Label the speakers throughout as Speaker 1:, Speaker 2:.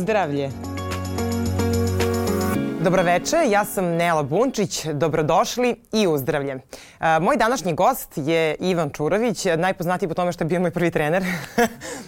Speaker 1: Uzdravlje. Dobroveče, ja sam Nela Bunčić, dobrodošli i uzdravlje. Moj današnji gost je Ivan Čurović, najpoznatiji po tome što je bio moj prvi trener.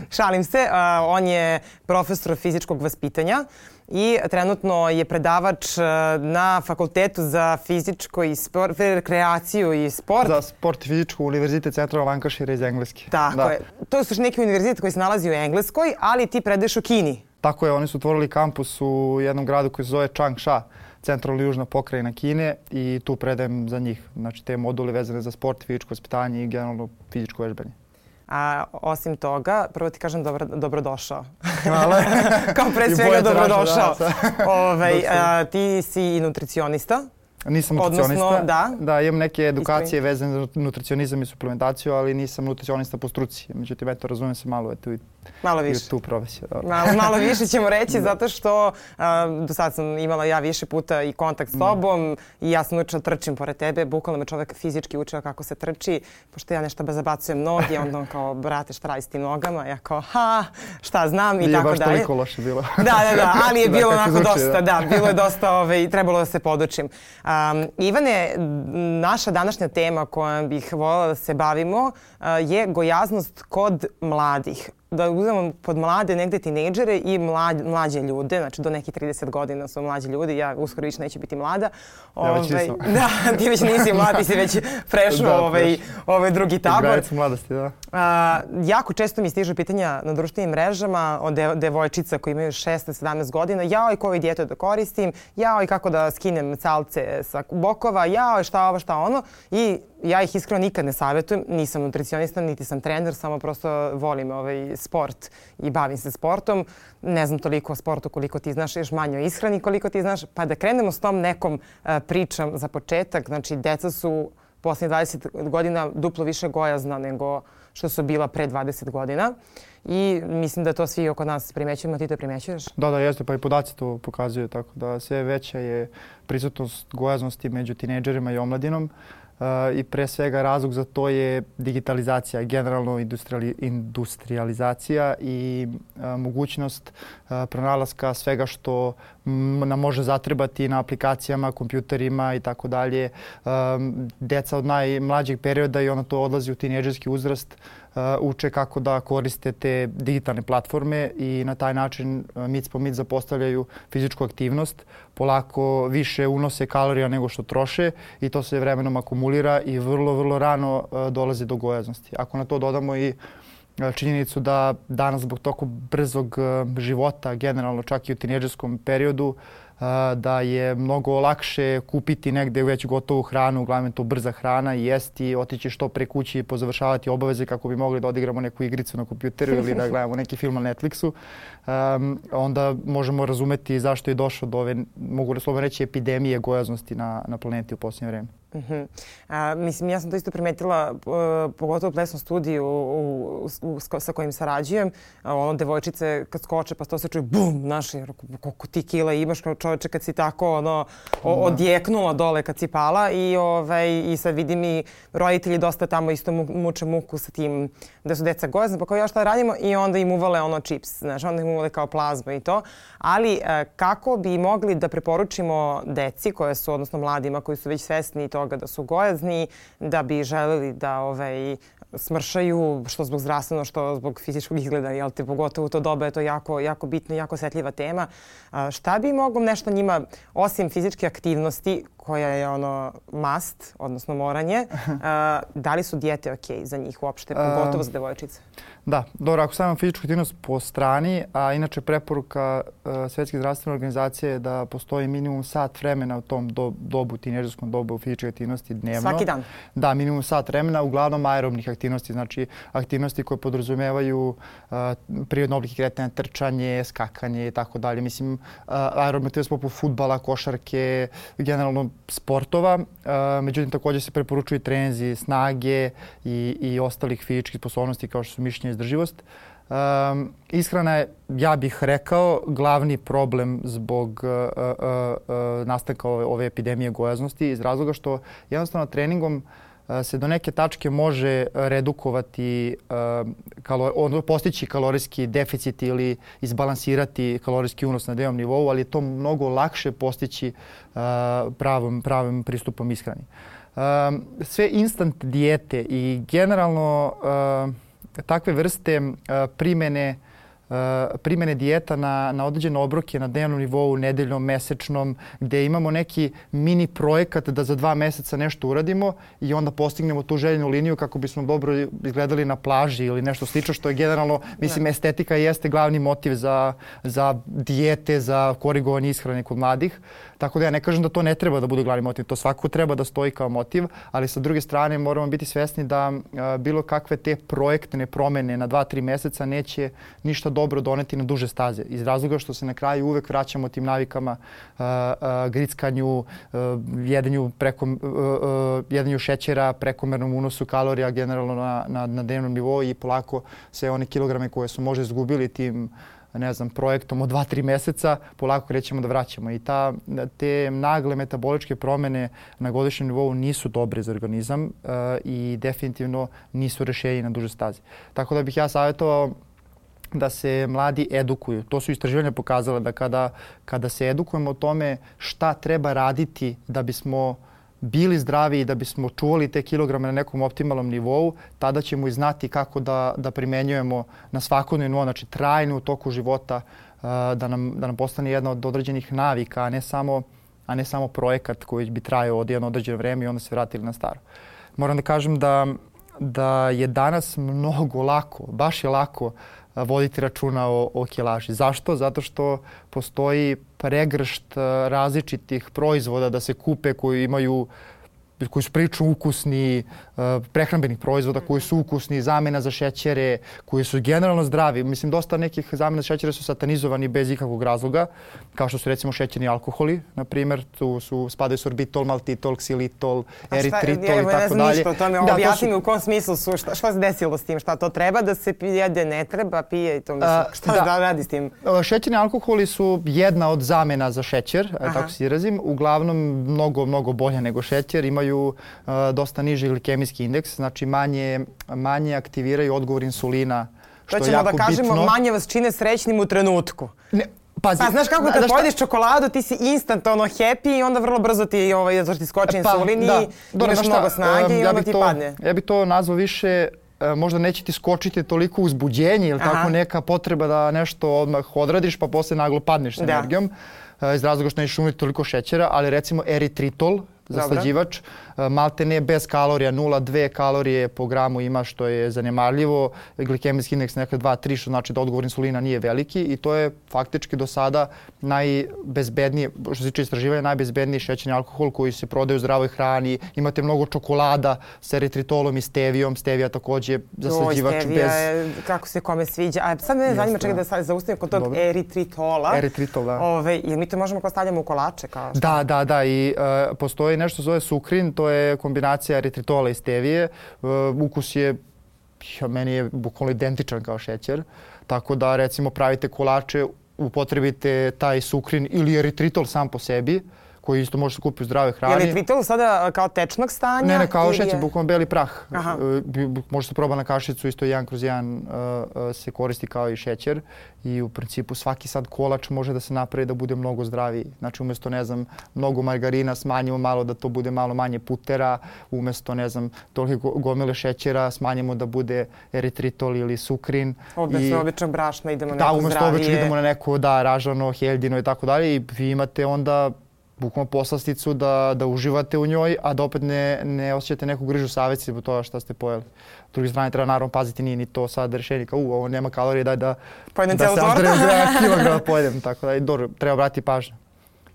Speaker 1: Šalim se, on je profesor fizičkog vaspitanja i trenutno je predavač na Fakultetu za fizičko i rekreaciju i sport.
Speaker 2: Za sport i fizičko Univerzitet Centralnog Lancashire iz Engleske.
Speaker 1: Tako je. To je u neki univerzitet koji se nalazi u Engleskoj, ali ti predaješ u Kini.
Speaker 2: Tako je, oni su otvorili kampus u jednom gradu koji se zove Changsha, centralno južna pokrajina Kine, i tu predajem za njih. Znači te module vezane za sport, fizičko vaspitanje i generalno fizičko vežbanje.
Speaker 1: A osim toga, prvo ti kažem dobrodošao.
Speaker 2: Hvala.
Speaker 1: Kao pre svega dobrodošao. Ti si i nutricionista.
Speaker 2: Nisam nutricionista.
Speaker 1: Odnosno,
Speaker 2: da, imam neke edukacije vezane za nutricionizam i suplementaciju, ali nisam nutricionista po struci. Međutim, eto, razumijem se malo i tu profesiju.
Speaker 1: Malo više ćemo reći, zato što do sad sam imala ja više puta i kontakt s tobom i ja sam učila trčim pored tebe. Bukvalno me čovek fizički učio kako se trči, pošto ja nešto zabacujem noge, onda on kao, brate, šta radi s tim nogama? Ja kao, šta znam i tako dalje.
Speaker 2: Nije baš toliko loše bilo.
Speaker 1: Da, ali je bilo onako dosta, bilo je dosta, trebalo da se podučim. Ivane, naša današnja tema kojom bih voljela da se bavimo je gojaznost kod mladih. Da uzmemo pod mlade negde tinejdžere i mlađe ljude, znači do nekih 30 godina su mlađi ljudi, ja uskoro više neću biti mlada.
Speaker 2: Ja već nisam.
Speaker 1: Da, ti već nisi mlad, ti si već prešao ovaj drugi tabor.
Speaker 2: Granicu mladosti, da.
Speaker 1: Jako često mi stižu pitanja na društvenim mrežama od devojčica koji imaju 16-17 godina. Jao, i koju dijetu da koristim, jao, i kako da skinem calce sa bokova, jao, šta ovo, šta ono. I ja ih iskreno nikad ne savjetujem, nisam nutricionista, niti sam trener, samo prosto volim sport i bavim se sportom. Ne znam toliko o sportu koliko ti znaš, još manje o ishrani koliko ti znaš. Pa da krenemo s tom nekom pričom za početak. Znači, deca su posljednjih 20 godina duplo više gojazna nego što su bila pre 20 godina. I mislim da to svi oko nas primećujemo, a ti to primećuješ?
Speaker 2: Da, jeste, pa i podaci to pokazuju, tako da sve veća je prisutnost gojaznosti među tinejdžerima i omladinom. I pre svega razlog za to je digitalizacija, generalno industrializacija i mogućnost pronalaska svega što nam može zatrebati na aplikacijama, kompjuterima i tako dalje. Deca od najmlađeg perioda i ono to odlazi u tinejdžerski uzrast, uče kako da koriste te digitalne platforme i na taj način mic po mic zapostavljaju fizičku aktivnost, polako više unose kalorija nego što troše i to se vremenom akumulira i vrlo rano dolazi do gojaznosti. Ako na to dodamo i činjenicu da danas zbog toliko brzog života, generalno čak i u tinejdžerskom periodu, da je mnogo lakše kupiti negde već gotovu hranu, uglavnom to brza hrana, i jesti, otići što pre kući i pozavršavati obaveze kako bi mogli da odigramo neku igricu na kompjuteru ili da gledamo neki film na Netflixu. Onda možemo razumeti zašto je došlo do ove, mogu slobodno reći, epidemije gojaznosti na planeti u posljednje vreme.
Speaker 1: Mislim, ja sam to isto primetila, pogotovo u plesnom studiju sa kojim sarađujem. Devojčice kad skoče pa to se čuje bum, znaš, koliko ti kila imaš kao čoveče kad si tako odjeknula dole kad si pala i sad vidim i roditelji dosta tamo isto muče muku sa tim da su deca gojazna, pa kao ja šta radimo, i onda im uvale čips, znaš, onda im uvale kao plazmu i to. Ali kako bi mogli da preporučimo deci koje su, odnosno mladima koji su već svesni toga da su gojazni, da bi želeli da smršaju, što zbog zdravstveno, što zbog fizičkog izgleda, jel te, pogotovo u to doba je to jako bitna i jako osetljiva tema. Šta bi moglo nešto njima, osim fizičke aktivnosti, koja je must, odnosno moranje, da li su dijete okej za njih uopšte, pogotovo za devojčice?
Speaker 2: Da, dobro, ako stavimo fizičku aktivnost po strani, a inače preporuka Svjetske zdravstvene organizacije je da postoji minimum sat vremena u tom dobu, tinejdžerskom dobu fizičke aktivnosti dnevno.
Speaker 1: Svaki dan?
Speaker 2: Da, minimum sat vremena, uglavnom aerobnih aktivnosti, znači aktivnosti koje podrazumevaju prirodne oblike kretanja, trčanje, skakanje i tako dalje. Mislim, aerobne aktivnosti poput fudbala, košarke, generalno sportova. Međutim, također se preporučuju treninzi snage i ostalih fizičkih sposobnosti kao što su mišićna izdrživost. Ishrana je, ja bih rekao, glavni problem zbog nastanka ove epidemije gojaznosti iz razloga što jednostavno treningom se do neke tačke može redukovati, postići kalorijski deficit ili izbalansirati kalorijski unos na dnevnom nivou, ali je to mnogo lakše postići pravim pristupom ishrani. Sve instant dijete i generalno takve vrste primjene dijeta na određene obroke na dnevnom nivou, nedeljnom, mesečnom, gdje imamo neki mini projekat da za 2 mjeseca nešto uradimo i onda postignemo tu željenu liniju kako bismo dobro izgledali na plaži ili nešto slično, što je generalno, mislim, estetika jeste glavni motiv za dijete, za korigovanje ishrane kod mladih. Tako da ja ne kažem da to ne treba da bude glavni motiv, to svakako treba da stoji kao motiv, ali sa druge strane moramo biti svjesni da bilo kakve te projektne promjene na 2-3 mjeseca neće ništa dobro doneti na duže staze. Iz razloga što se na kraju uvek vraćamo tim navikama, grickanju, jedenju šećera, prekomernom unosu kalorija generalno na dnevnom nivou i polako sve one kilograme koje su možda izgubili tim projektom od 2-3 mjeseca, polako krećemo da vraćamo. I te nagle metaboličke promjene na godišnjem nivou nisu dobre za organizam i definitivno nisu rješenje na duže staze. Tako da bih ja savjetovao da se mladi edukuju. To su istraživanja pokazale da kada se edukujemo o tome šta treba raditi da bismo bili zdravi i da bismo čuvali te kilograme na nekom optimalnom nivou, tada ćemo i znati kako da primenjujemo na svakodnevnom nivou, znači trajno u toku života, da nam postane jedna od određenih navika, a ne samo projekat koji bi trajao od jedno određeno vreme i onda se vratili na staro. Moram da kažem da je danas mnogo lako, baš je lako voditi računa o kilaži. Zašto? Zato što postoji pregršt različitih proizvoda da se kupe koji su prilično ukusni, prehrambenih proizvoda koji su ukusni, zamjena za šećere, koji su generalno zdravi. Mislim, dosta nekih zamjena za šećere su satanizovani bez ikakvog razloga, kao što su recimo šećerni alkoholi, na primjer. Tu spadaju sorbitol, maltitol, ksilitol, eritritol i tako dalje.
Speaker 1: Ne znam ništa o tome. Objasni mi u kom smislu su, šta se desilo s tim, šta to treba da se jede, ne treba, pije i to mislim. Šta da radi s tim?
Speaker 2: Šećerni alkoholi su jedna od zamjena za šećer, tako se izrazim. Uglavnom mnogo bolje nego šećer. Imaju dosta niži glikemijski indeks, znači manje aktiviraju odgovor insulina, što je jako bitno. To ćemo da kažemo,
Speaker 1: manje vas čine srećnim u trenutku. Pazi, pa znaš kako kad pojediš čokoladu ti si instant happy i onda vrlo brzo ti skoči insulin i imaš mnogo snage i onda ti padne.
Speaker 2: Ja bi to nazvao više, možda neće ti skočiti toliko uzbuđenje ili tako neka potreba da nešto odmah odradiš pa posle naglo padneš s energijom iz razloga što nećeš umjeti toliko šećera, ali recimo eritritol, zaslađivač, malte ne bez kalorija, 0,2 kalorije po gramu ima, što je zanemarljivo. Glikemijski indeks nekada 2-3, što znači da odgovor insulina nije veliki i to je faktički do sada najbezbedniji, što se tiče istraživanja, najbezbedniji šećerni alkohol koji se prodaje u zdravoj hrani. Imate mnogo čokolada s eritritolom i stevijom. Stevija također zaslađivač
Speaker 1: stevija je, kako se kome sviđa. A sad me zanima, čekaj da zaustavim kod tog eritritola.
Speaker 2: Eritritol, da.
Speaker 1: Jer mi to možemo kao stavljamo u kolače?
Speaker 2: Da. I postoji nešto zove sukrin, to je kombinacija eritritola i stevije. Ukus je, meni je bukvalno identičan kao šećer. Tako da recimo pravite kolače, upotrebite taj sukrin ili eritritol sam po sebi, koji isto može se kupiti u zdravoj hrani.
Speaker 1: Je li eritritol sada kao tečnog stanja?
Speaker 2: Ne, kao šećer, bukvalno beli prah. Može se proba na kašicu, isto 1/1 se koristi kao i šećer. I u principu svaki sad kolač može da se napravi da bude mnogo zdraviji. Znači umjesto, mnogo margarina smanjimo malo da to bude malo manje putera. Umjesto, toliko gomile šećera smanjimo da bude eritritol ili sukrin.
Speaker 1: Umjesto običnog brašna idemo na neko zdravije.
Speaker 2: Da, umjesto običnog idemo na neko, ražano, heljino i tako dalje. I vi imate onda bukvalno poslasticu da uživate u njoj, a da opet ne osjećate neku grižu savjesti zbog toga šta ste pojeli. S druge strane treba naravno paziti, nije ni to sad rješenje kao ovo nema kalorije, daj da se kilograma pojedem. Tako da dobro, treba obratiti pažnju.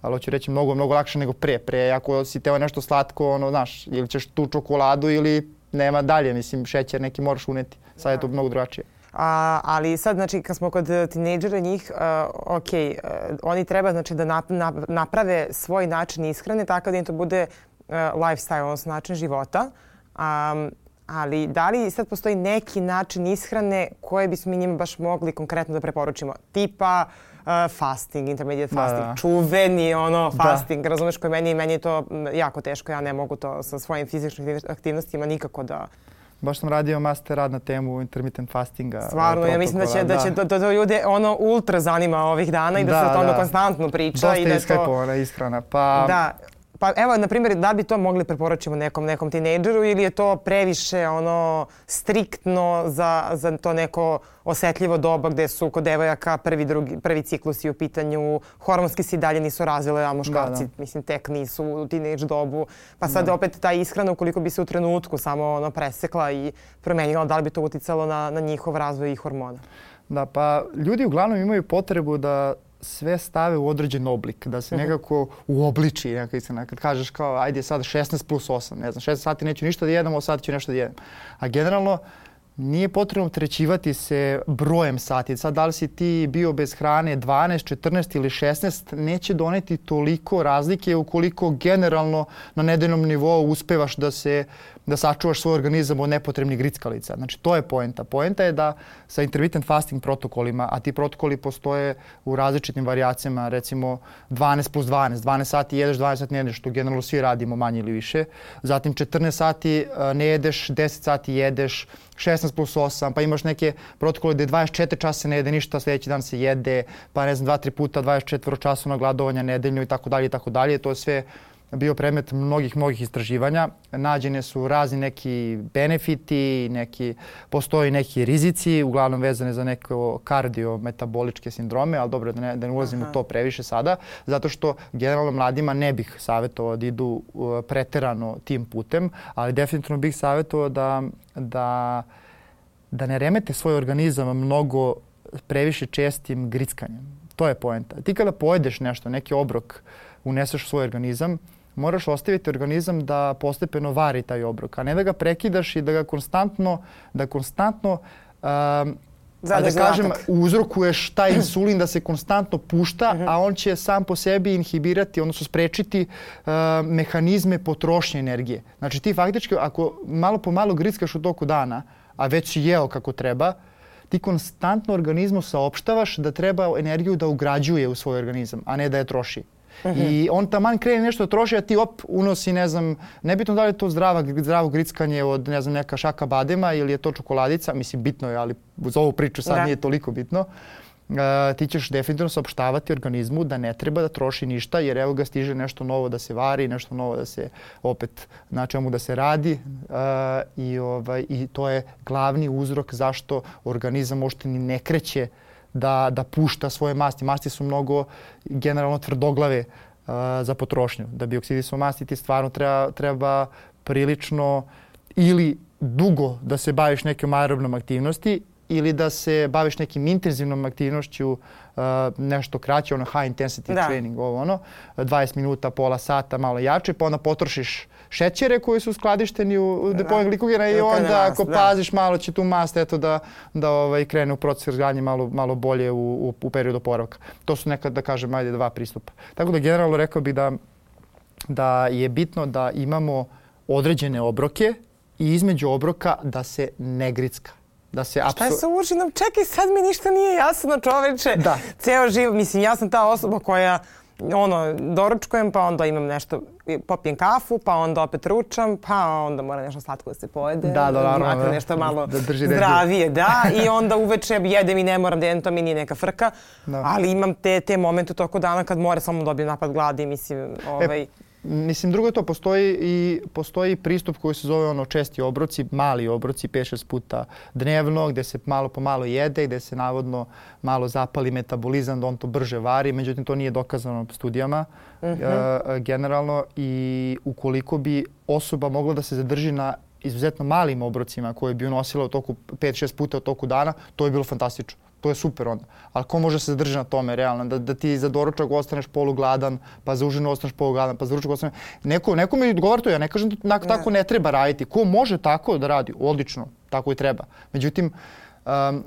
Speaker 2: Ali hoću reći mnogo lakše nego pre. Pre, ako si teo nešto slatko, ili ćeš tu čokoladu ili nema dalje, mislim, šećer neki moraš uneti. Sad je to mnogo drugačije.
Speaker 1: Ali sad, znači, kad smo kod tinejdžera njih, oni treba znači, da naprave svoj način ishrane tako da im to bude lifestyle, odnosno način života. Ali da li sad postoji neki način ishrane koje bismo mi njima baš mogli konkretno da preporučimo? Tipa fasting, intermediate fasting, čuveni fasting, razumeš, koji meni je to jako teško, ja ne mogu to sa svojim fizičkim aktivnostima nikako da...
Speaker 2: Baš sam radio master rad na temu intermittent fastinga.
Speaker 1: Stvarno, ja mislim da će to ljude ultra zanima ovih dana i da se o tome konstantno priča.
Speaker 2: Dosta je iskajpovana ishrana.
Speaker 1: Pa evo, na primjer, da bi to mogli preporučimo nekom tinejdžeru ili je to previše striktno za to neko osetljivo doba gde su kod devojaka prvi ciklusi u pitanju, hormonski se i dalje nisu razvile, a muškarci mislim tek nisu u tinejdž dobu. Pa sad opet ta ishrana ukoliko bi se u trenutku samo presekla i promenila, da li bi to uticalo na njihov razvoj i hormona?
Speaker 2: Da, pa ljudi uglavnom imaju potrebu da sve stave u određen oblik, da se nekako uobliči. Kad kažeš kao ajde sad 16+8, ne znam, 16 sati neću ništa da jedem, 8 sati ću nešto da jedem. A generalno nije potrebno opterećivati se brojem sati. Sad da li si ti bio bez hrane 12, 14 ili 16, neće doneti toliko razlike ukoliko generalno na nedeljnom nivou uspevaš da sačuvaš svoj organizam od nepotrebnih grickalica. Znači to je poenta. Poenta je da sa intermittent fasting protokolima, a ti protokoli postoje u različitim varijacijama, recimo 12+12, 12 sati jedeš, 12 sati ne jedeš, što generalno svi radimo manje ili više. Zatim 14 sati ne jedeš, 10 sati jedeš, 16+8, pa imaš neke protokole gde 24 časa ne jede ništa, sljedeći dan se jede, pa ne znam 2-3 puta 24 časovna gladovanja nedeljno i tako dalje. To je sve bio predmet mnogih istraživanja. Nađene su razni neki benefiti, postoji neki rizici, uglavnom vezane za neko kardiometaboličke sindrome, ali dobro da ne ulazim u to previše sada, zato što generalno mladima ne bih savjetovao da idu preterano tim putem, ali definitivno bih savjetovao da ne remete svoj organizam mnogo previše čestim grickanjem. To je poenta. Ti kada pojedeš nešto, neki obrok, uneseš u svoj organizam, moraš ostaviti organizam da postepeno vari taj obrok, a ne da ga prekidaš i da ga konstantno uzrokuješ taj insulin da se konstantno pušta, a on će sam po sebi inhibirati, odnosno sprečiti mehanizme potrošnje energije. Znači ti faktički ako malo po malo grickaš u toku dana, a već si jeo kako treba, ti konstantno organizmu saopštavaš da treba energiju da ugrađuje u svoj organizam, a ne da je troši. I on taman krene nešto troši, a ti unosi, ne znam, nebitno da li je to zdravo grickanje od, ne znam, neka šaka badema ili je to čokoladica, mislim bitno je, ali uz ovu priču sad nije toliko bitno. Ti ćeš definitivno saopštavati organizmu da ne treba da troši ništa, jer evo ga stiže nešto novo da se vari, nešto novo da se opet na čemu da se radi i to je glavni uzrok zašto organizam uopšte ni ne kreće da pušta svoje masti. Masti su mnogo generalno tvrdoglave za potrošnju. Da bi oksidisao masti ti stvarno treba prilično ili dugo da se baviš nekom aerobnom aktivnosti ili da se baviš nekim intenzivnom aktivnošću, nešto kraće, high intensity training, 20 minuta, pola sata, malo jače, pa onda potrošiš šećere koji su skladišteni u depoju glikogena i onda ako paziš malo će tu mast da krene u proces razgradnje malo bolje u periodu oporavka. To su nekad, da kažem, ajde 2 pristupa. Tako da generalno rekao bih da je bitno da imamo određene obroke i između obroka da se ne gricka.
Speaker 1: Šta je sa učinom? Čekaj, sad mi ništa nije jasno, čoveče. Ceo život, mislim, ja sam ta osoba koja doručkujem, pa onda imam nešto, popijem kafu, pa onda opet ručam, pa onda mora nešto slatko da se pojede. Makar nešto malo zdravije, i onda uveče jedem i ne moram da jedem, to mi nije neka frka. Ali imam te momente u toku dana kad mora samo dobijem napad gladi, mislim,
Speaker 2: Mislim, drugo je to, postoji pristup koji se zove česti obroci, mali obroci, 5-6 puta dnevno, gde se malo po malo jede, gde se navodno malo zapali metabolizam, da on to brže vari, međutim to nije dokazano studijama generalno i ukoliko bi osoba mogla da se zadrži na izuzetno malim obrocima koje bi unosila u toku 5-6 puta u toku dana, to je bilo fantastično. To je super onda. Ali ko može se zadržati na tome realno? Da ti za doručak ostaneš polugladan, pa za užinu ostaneš polugladan, pa za ručak ostaneš... Neko mi odgovara to, ja ne kažem da tako ne treba raditi. Ko može tako da radi? Odlično, tako i treba. Međutim,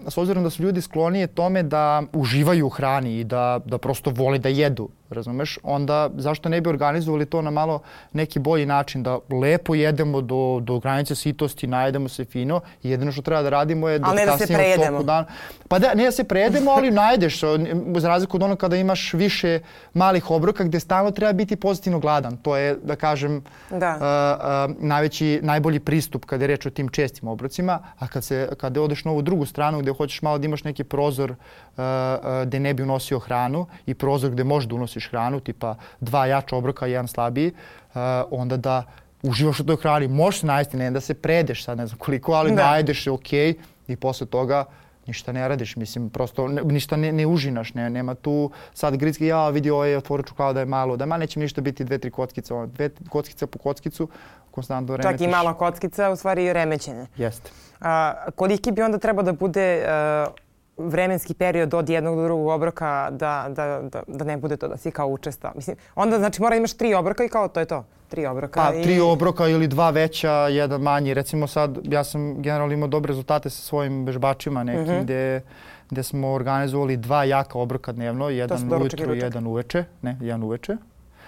Speaker 2: s obzirom da su ljudi sklonije tome da uživaju u hrani i da prosto vole da jedu, razumeš, onda zašto ne bi organizovali to na malo neki bolji način, da lepo jedemo do granice sitosti, najedemo se fino i jedino što treba da radimo je da kasnije u toku dana. Pa da, ne da se prejedemo, ali najedeš, za razliku od onog kada imaš više malih obroka gdje stalno treba biti pozitivno gladan. To je, da kažem, najbolji pristup kada je reč o tim čestim obrocima, a kada odeš na ovu drugu stranu gdje hoćeš malo da imaš neki prozor gdje ne bi unosio hranu i prozor gdje možeš da unosiš hranu, tipa 2 jača obroka i 1 slabiji, onda da uživaš u toj hrani. Možeš se najesti, ne da se predeš sad ne znam koliko, ali najedeš se okej i posle toga ništa ne radiš, mislim, prosto ništa ne užinaš, nema tu sad gritski, vidi ovo je otvorio čokoladu da je malo, da neće ništa biti 2-3 kockice, 2 kockice po kockicu, konstantno remetiš.
Speaker 1: Čak i mala kockica, u stvari remećenje.
Speaker 2: Jeste.
Speaker 1: Koliki bi onda trebao da bude vremenski period od jednog do drugog obroka da ne bude to da si kao učestao? Mislim, onda znači mora imaš 3 obroka i kao to je to. 3 obroka.
Speaker 2: Pa 3 obroka ili 2 veća, 1 manji. Recimo sad ja sam generalno imao dobre rezultate sa svojim vežbačima nekim gdje smo organizovali 2 jaka obroka dnevno, jedan ujutru i jedan uveče. Ne, jedan uveče.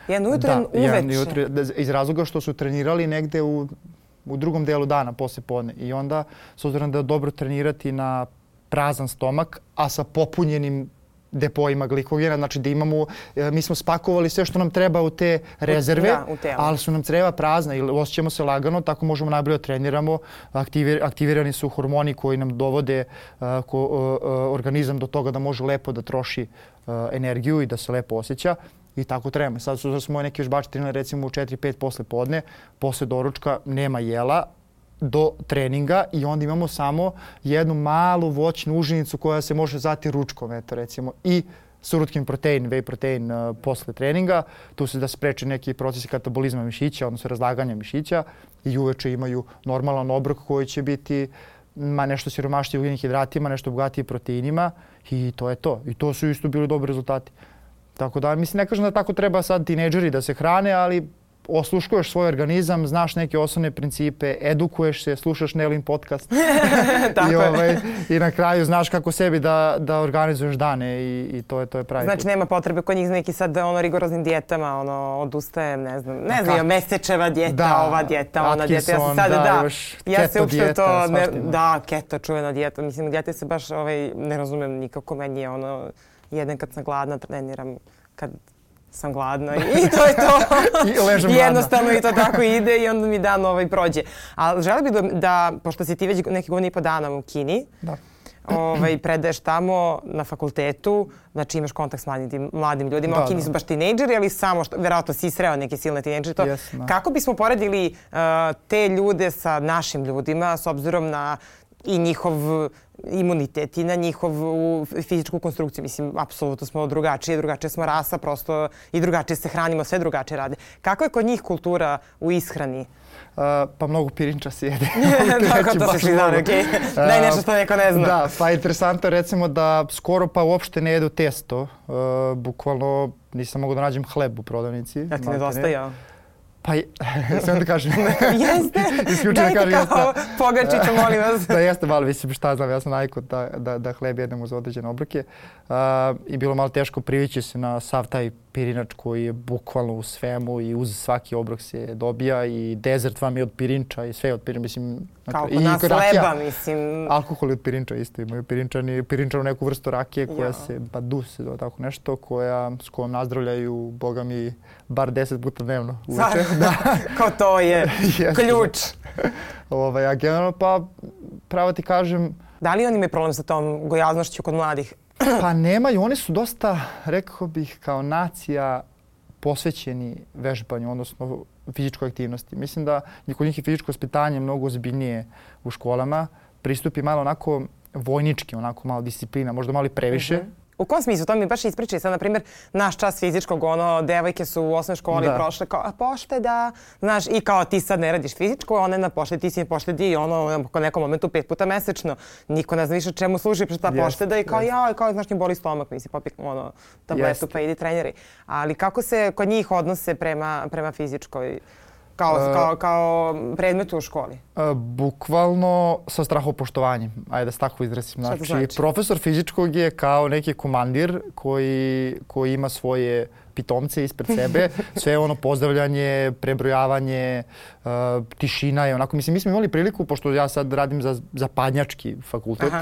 Speaker 1: Jedan ujutru i jedan uveče?
Speaker 2: Iz razloga što su trenirali negde u drugom delu dana, posle podne. I onda, s obzirom da je dobro trenirati na prazan stomak, a sa popunjenim depojima glikogena, znači da imamo, mi smo spakovali sve što nam treba u te rezerve, ali su nam creva prazna i osjećamo se lagano, tako možemo najbolje treniramo. Aktivirani su hormoni koji nam dovode organizam do toga da može lepo da troši energiju i da se lepo osjeća. I tako trebamo. Sad smo neki vežbači trenirali recimo u 4-5 posle podne, posle doručka nema jela, do treninga i onda imamo samo jednu malu voćnu užinicu koja se može zvati ručkom, eto recimo, i surutkin protein, whey protein posle treninga. Tu se da spreče neki procesi katabolizma mišića, odnosno razlaganja mišića i uveče imaju normalan obrok koji će biti nešto siromašniji ugljenih hidratima, nešto bogatiji proteinima i to je to. I to su isto bili dobri rezultati. Tako da, mislim, ne kažem da tako treba sad tinejdžeri da se hrane, ali osluškuješ svoj organizam, znaš neke osnovne principe, edukuješ se, slušaš Nelin podcast i na kraju znaš kako sebi da organizuješ dane i to je pravi put.
Speaker 1: Znači nema potrebe kod njih neki sad rigoroznim dijetama, odustajem, ne znam, mesečeva dijeta, ova dijeta, ona dijeta. Ja se uopšte to, keto, čuvena dijeta. Mislim, dijete se baš ne razumem nikako, meni je jedan kad sam gladna, treniram kad sam gladna i to je to. Jednostavno i to tako ide i onda mi dan prođe. Ali želim bih da, pošto si ti već neki godinu i po dana u Kini, predaješ tamo na fakultetu, znači imaš kontakt s mladim ljudima. U Kini su baš tinejdžeri, ali samo što, verovatno si sreo neke silne tinejdžere. Kako bismo poredili te ljude sa našim ljudima s obzirom na i njihov imunitet i na njihovu fizičku konstrukciju? Mislim, apsolutno smo drugačije smo rasa, prosto i drugačije se hranimo, sve drugačije rade. Kako je kod njih kultura u ishrani?
Speaker 2: Pa mnogo pirinča se jede.
Speaker 1: Tako to se svi znali, okej. Daj nešto što neko ne zna.
Speaker 2: Da, pa interesantno recimo da skoro pa uopšte ne jedu testo. Bukvalno nisam mogu da nađem hleb u prodavnici.
Speaker 1: Ja ti nedostajao.
Speaker 2: Pa, sam da kažem.
Speaker 1: Jeste, dajte kao pogačiću, molim vas.
Speaker 2: Da, jeste malo, mislim šta znam, ja sam navikao da hleb jedem uz određene obroke. I bilo malo teško privići se na sav taj pirinač koji je bukvalno u svemu i uz svaki obrok se dobija i dezert vam je od pirinča i sve od pirinča, mislim.
Speaker 1: Kao kod nas leba, mislim.
Speaker 2: Alkohol je od pirinča isto, imaju pirinčanu neku vrstu rakije koja se badu se zove tako nešto, s kojom nazdravljaju, boga mi, bar 10 puta dnevno uveče.
Speaker 1: Kao to je ključ.
Speaker 2: A generalno pa pravo ti kažem.
Speaker 1: Da li oni imaju problem sa tom gojaznošću kod mladih?
Speaker 2: Pa nemaju, oni su dosta, rekao bih, kao nacija posvećeni vežbanju, odnosno fizičkoj aktivnosti. Mislim da kod njih je fizičko vaspitanje mnogo ozbiljnije u školama. Pristupi malo onako vojnički, onako malo disciplina, možda malo i previše.
Speaker 1: U kom smislu? To mi baš ispričaj. Sad, na primjer, naš čas fizičkog, devojke su u osnovnoj školi prošle kao pošteda, znaš, i kao ti sad ne radiš fizičko, ona je na poštedi, ti si na poštedi i po nekom momentu 5 puta mesečno. Niko ne zna više čemu služi ta pošteda i kao, znaš, njim boli stomak, mi si popik tabletu pa idi treneri. Ali kako se kod njih odnose prema fizičkoj? Kao predmetu u školi?
Speaker 2: Bukvalno sa strahopoštovanjem. Ajde da se tako izrazim. Znači, profesor fizičkog je kao neki komandir koji ima svoje pitomce ispred sebe, sve ono pozdravljanje, prebrojavanje, tišina je onako. Mislim, mi smo imali priliku, pošto ja sad radim za zapadnjački fakultet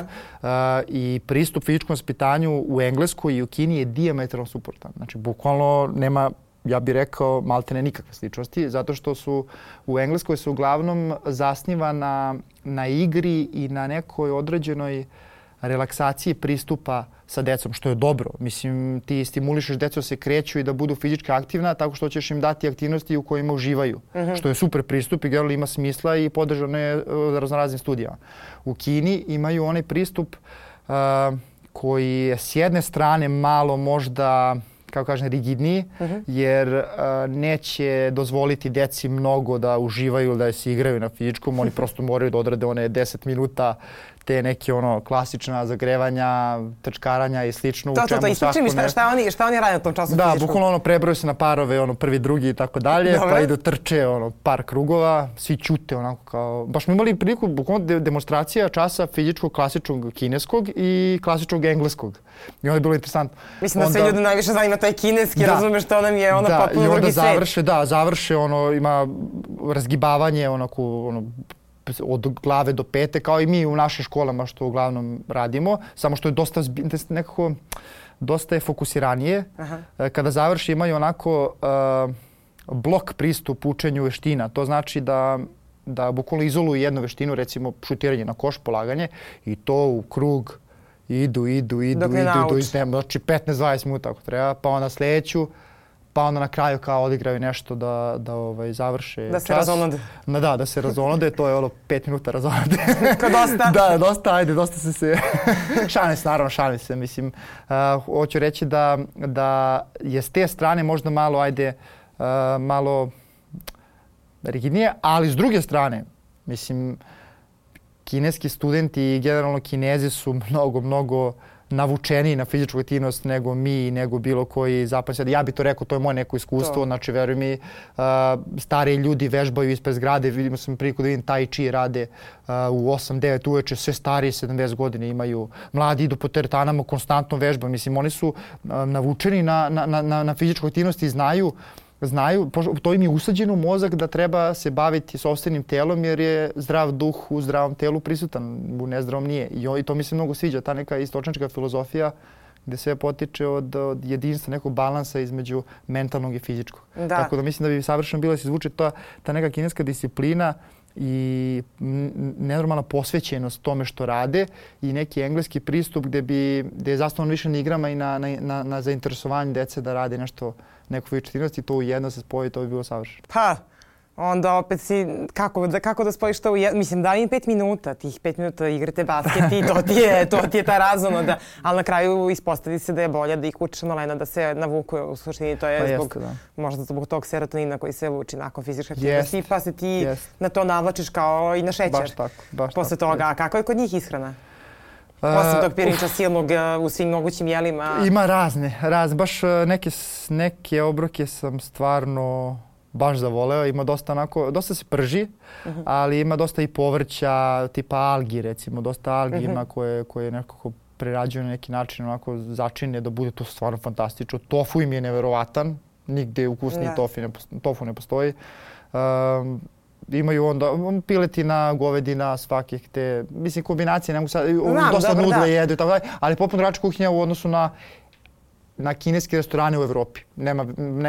Speaker 2: i pristup fizičkom vaspitanju u Engleskoj i u Kini je dijametralno suprotan. Znači, bukvalno nema, ja bih rekao, maltene nikakve sličnosti, zato što su u Engleskoj se uglavnom zasniva na igri i na nekoj određenoj relaksaciji pristupa sa decom, što je dobro. Mislim, ti stimulišeš decu da se kreću i da budu fizički aktivna tako što ćeš im dati aktivnosti u kojima uživaju, što je super pristup i generalno ima smisla i podržano je raznoraznim studijama. U Kini imaju onaj pristup koji je s jedne strane malo možda, kako kažem, rigidniji, jer neće dozvoliti deci mnogo da uživaju ili da se igraju na fizičkom. Oni prosto moraju da odrade one 10 minuta te neke klasična zagrevanja, trčkaranja i slično.
Speaker 1: To ispričaj mi šta oni rade na tom času
Speaker 2: fizičkom?
Speaker 1: Da,
Speaker 2: bukvalno prebrojaju se na parove, prvi, drugi i tako dalje, pa idu trče par krugova, svi ćute onako kao... Baš smo imali priliku, bukvalno demonstracija časa fizičkog, klasičnog kineskog i klasičnog engleskog. I onda je bilo interesantno.
Speaker 1: Mislim da sve ljudi najviše zanima taj kineski, razumeš, to nam je potpuno drugi svet.
Speaker 2: Završe, ima razgibavanje od glave do pete, kao i mi u našim školama što uglavnom radimo, samo što je dosta je fokusiranije. Kada završi imaju onako blok pristup učenju veština. To znači da bukvalno izoluju jednu veštinu, recimo šutiranje na koš, polaganje, i to u krug idu, znači 15-20 minuta ako treba, pa onda sljedeću, pa onda na kraju kao odigraju nešto da završe čas.
Speaker 1: Da se razonode.
Speaker 2: Da se razonode, to je 5 minuta razonode.
Speaker 1: Kao dosta.
Speaker 2: Da, dosta se... šalim se, mislim. Hoću reći da je s te strane možda malo rigidnije, ali s druge strane, mislim, kineski studenti i generalno Kinezi su mnogo navučeniji na fizičku aktivnost nego mi, nego bilo koji zapadni svijet. Ja bih to rekao, to je moje neko iskustvo. Znači, veruj mi, stariji ljudi vežbaju ispred zgrade. Vidimo sam priliku da vidim Tai Chi rade u 8-9 uveče. Sve stariji 70 godina imaju. Mladi idu po teretanama, konstantno vežbaju. Mislim, oni su navučeni na fizičku aktivnost i znaju, to im je usađeno u mozak da treba se baviti sopstvenim telom jer je zdrav duh u zdravom telu prisutan, u nezdravom nije. I to mi se mnogo sviđa, ta neka istočnička filozofija gdje sve potiče od jedinstva, nekog balansa između mentalnog i fizičkog. Tako da mislim da bi savršeno bilo da se izvuče ta neka kineska disciplina i nenormalna posvećenost tome što rade i neki engleski pristup gdje je zasnovan više na igrama i na zainteresovanju dece da rade neku fizičku aktivnost i to ujedno se spoji, to bi bilo savršeno.
Speaker 1: Pa, onda opet si, kako da spojiš to ujedno? Mislim, da im 5 minuta, tih 5 minuta igrate basket i to ti je ta razonoda, ali na kraju ispostavi se da je bolje da ih učiš online, da se navuku u suštini, to je možda zbog tog serotonina koji se luči nakon fizičke aktivnosti, pa se ti na to navlačiš kao i na šećer.
Speaker 2: Baš tako.
Speaker 1: Posle toga, a kako je kod njih ishrana? Osim tog pirinča silnog u svim mogućim jelima.
Speaker 2: Ima razne. Baš neke obroke sam stvarno baš zavoleo. Ima dosta se prži, ali ima dosta i povrća, tipa algi recimo. Dosta algi ima koje nekako prerađuju na neki način, onako začine da bude to stvarno fantastično. Tofu im je neverovatan. Nigde ukusniji tofu ne postoji. Imaju onda piletina, govedina, svakih te, mislim, kombinacije, ne mogu sad, dosta nudle jedu i tako dalje, ali potpuno drugačija kuhinja u odnosu na kineske restorane u Evropi. Nema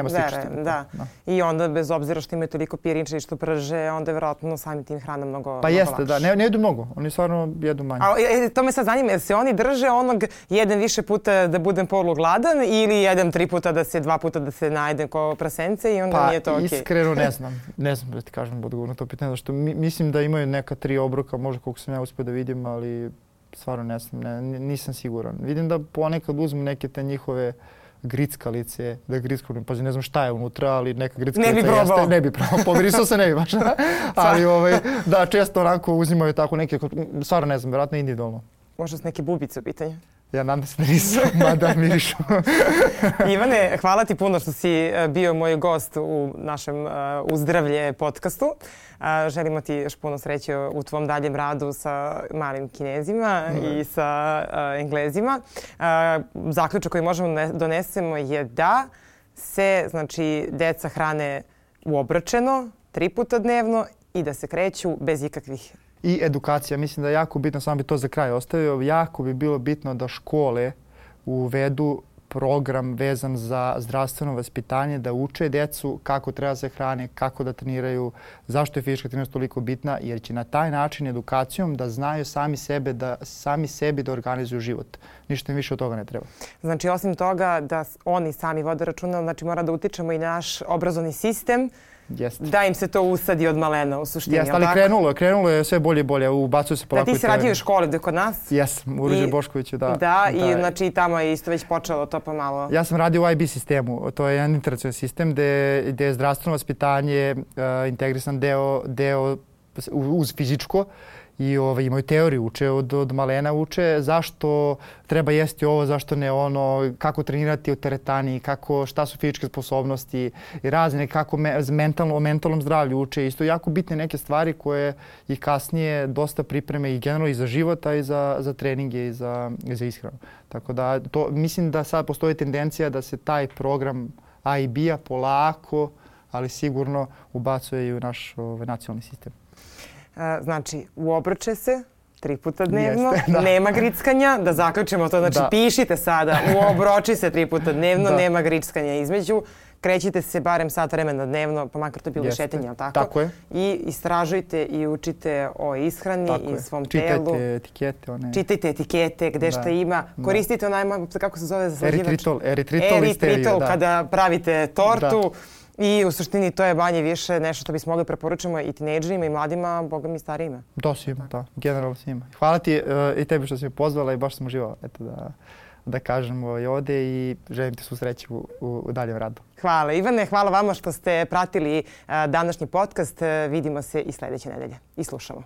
Speaker 2: sličnosti.
Speaker 1: Da. I onda, bez obzira što imaju toliko pirinča i što prže, onda je vjerojatno sami tim hrana mnogo lakše.
Speaker 2: Pa jeste, da. Ne jedu mnogo. Oni stvarno jedu manje.
Speaker 1: To me sad zanima, jer se oni drže onog jedem više puta da budem polugladan ili jedem 3 puta dva puta da se najedem ko prasence i onda nije to okej?
Speaker 2: Pa iskreno ne znam. Ne znam da ti kažem odgovor na to pitanje, zato što mislim da imaju neka 3 obroka, možda koliko sam ja uspio da vidim, ali stvarno ne znam, nisam siguran. Vidim da ponekad uzmu neke te njihove grickalice, da grickaju, pa ne znam šta je unutra, ali neka grickalica jeste. Ne bi probao. Pomirisao se ne bi baš. Ali da, često onako uzimaju tako neke, stvarno ne znam, vjerojatno individualno.
Speaker 1: Možda su neke bubice u pitanju.
Speaker 2: Ja nadam se da nisam, mada mirišu.
Speaker 1: Ivane, hvala ti puno što si bio moj gost u našem Uzdravlje podcastu. Želimo ti još puno sreće u tvom daljem radu sa malim Kinezima i sa Englezima. Zaključak koji možemo donesemo je da se znači, deca hrane uobračeno 3 puta dnevno i da se kreću bez ikakvih.
Speaker 2: I edukacija, mislim da je jako bitno, samo bi to za kraj ostavio, jako bi bilo bitno da škole uvedu program vezan za zdravstveno vaspitanje, da uče decu kako treba se hrane, kako da treniraju, zašto je fizička aktivnost toliko bitna, jer će na taj način edukacijom da znaju sami sebi da organizuju život. Ništa im više od toga ne treba.
Speaker 1: Znači, osim toga da oni sami vode računa, znači mora da utičemo i naš obrazovni sistem, da im se to usadi od malena u suštini.
Speaker 2: Jeste, ali krenulo je sve bolje i bolje. Ubacuju se polako.
Speaker 1: Da, ti si radio u školi kod nas?
Speaker 2: Jesam, u Ruđer Boškoviću, da.
Speaker 1: Da, i znači tamo je isto već počelo to pomalo.
Speaker 2: Ja sam radio u IB sistemu. To je jedan internacionalni sistem gde je zdravstveno vaspitanje integrisan deo uz fizičko. I imaju teoriju, uče od malena, uče zašto treba jesti ovo, zašto ne ono, kako trenirati u teretani, šta su fizičke sposobnosti i razne, kako o mentalnom zdravlju uče. Isto jako bitne neke stvari koje ih kasnije dosta pripreme i generalno i za život, a i za treninge i za ishranu. Tako da mislim da sad postoji tendencija da se taj program IB-a polako, ali sigurno ubacuje i u naš nacionalni sistem.
Speaker 1: Znači, uobrače se 3 puta dnevno, nema grickanja, da zaključimo to, znači pišite sada, uobroči se 3 puta dnevno, nema grickanja između, krećite se barem sat vremena dnevno, pa makar to bilo šetanje, ali tako?
Speaker 2: Tako je.
Speaker 1: I istražujte i učite o ishrani i svom telu. Čitajte etikete, gde šta ima. Koristite onaj, kako se zove zaslađivač? Eritritol, kada pravite tortu. I u suštini to je manje više nešto što bismo mogli preporučimo i tinejdžerima i mladima, boga mi starijima.
Speaker 2: To svima, da. Generalno svima. Hvala ti i tebi što si me pozvala i baš sam uživao da kažemo ovdje i želim ti svu sreću u daljem radu.
Speaker 1: Hvala Ivane, hvala vama što ste pratili današnji podcast. Vidimo se i sljedeće nedelje i slušamo.